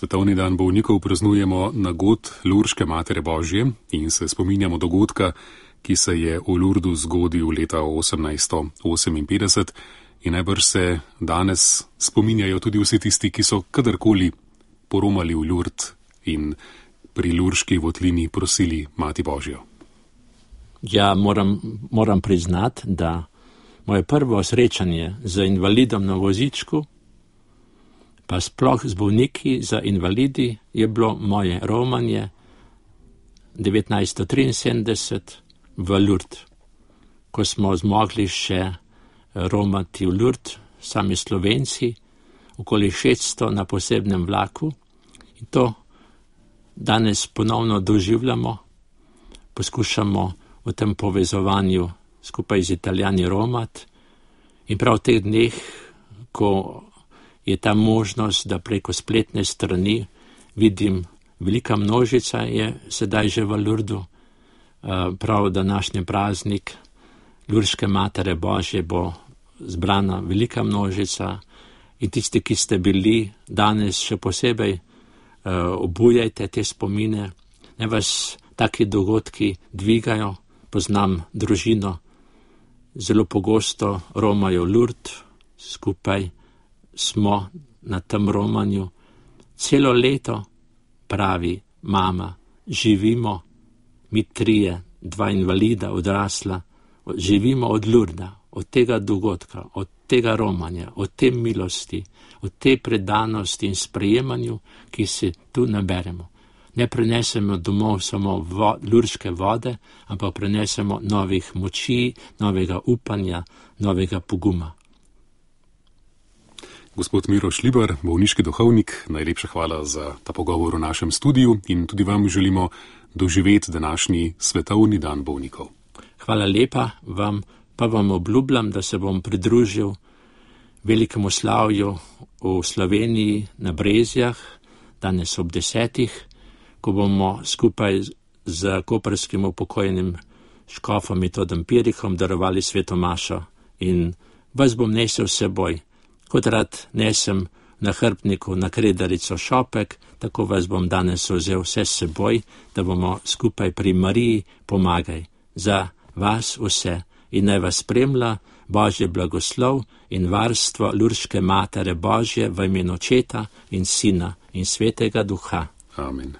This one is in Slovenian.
Svetovni dan bolnikov praznujemo na god Lurške Matere Božje in se spominjamo dogodka, ki se je v Lurdu zgodil leta 1858 in najbrž se danes spominjajo tudi vsi tisti, ki so kadarkoli poromali v Lurd in pri Lurški votlini prosili Mati Božjo. Ja, moram priznati, da moje prvo srečanje z invalidom na vozičku, pa sploh z bolniki za invalidi, je bilo moje romanje 1973 v Lurd, ko smo zmogli še romati v Lurd, sami Slovenci, okoli 600 na posebnem vlaku, in to danes ponovno doživljamo, poskušamo v tem povezovanju skupaj z Italijani romat in prav v teh dneh, ko je ta možnost, da preko spletne strani vidim, velika množica je sedaj že v Lurdu, prav današnji praznik Lurške Matere Božje bo zbrana velika množica in tisti, ki ste bili danes še posebej, obujajte te spomine, ne vas taki dogodki dvigajo. Poznam družino, zelo pogosto romajo Lurd, skupaj smo na tem romanju. Celo leto, pravi mama, živimo, mi trije, 2 invalida odrasla, živimo od Lurda, od tega dogodka, od tega romanja, od te milosti, od te predanosti in sprejemanju, ki se tu naberemo. Ne prenesemo domov samo lurške vode, ampak prenesemo novih moči, novega upanja, novega poguma. Gospod Miro Šlibar, bolniški duhovnik, najlepša hvala za ta pogovor v našem studiu in tudi vam želimo doživeti današnji Svetovni dan bolnikov. Hvala lepa vam, pa vam obljubljam, da se bom pridružil velikemu slavju v Sloveniji na Brezjah, danes ob 10. ko bomo skupaj z koprskim upokojenim škofom Metodom Pirikom darovali sveto mašo in vas bom nesel s seboj. Kot rad nesem na hrbtniku na kredarico šopek, tako vas bom danes vzel vse s seboj, da bomo skupaj pri Mariji pomagaj za vas vse in naj vas spremlja Božje blagoslov in varstvo Lurške Matere Božje v imenu Očeta in Sina in Svetega Duha. Amen.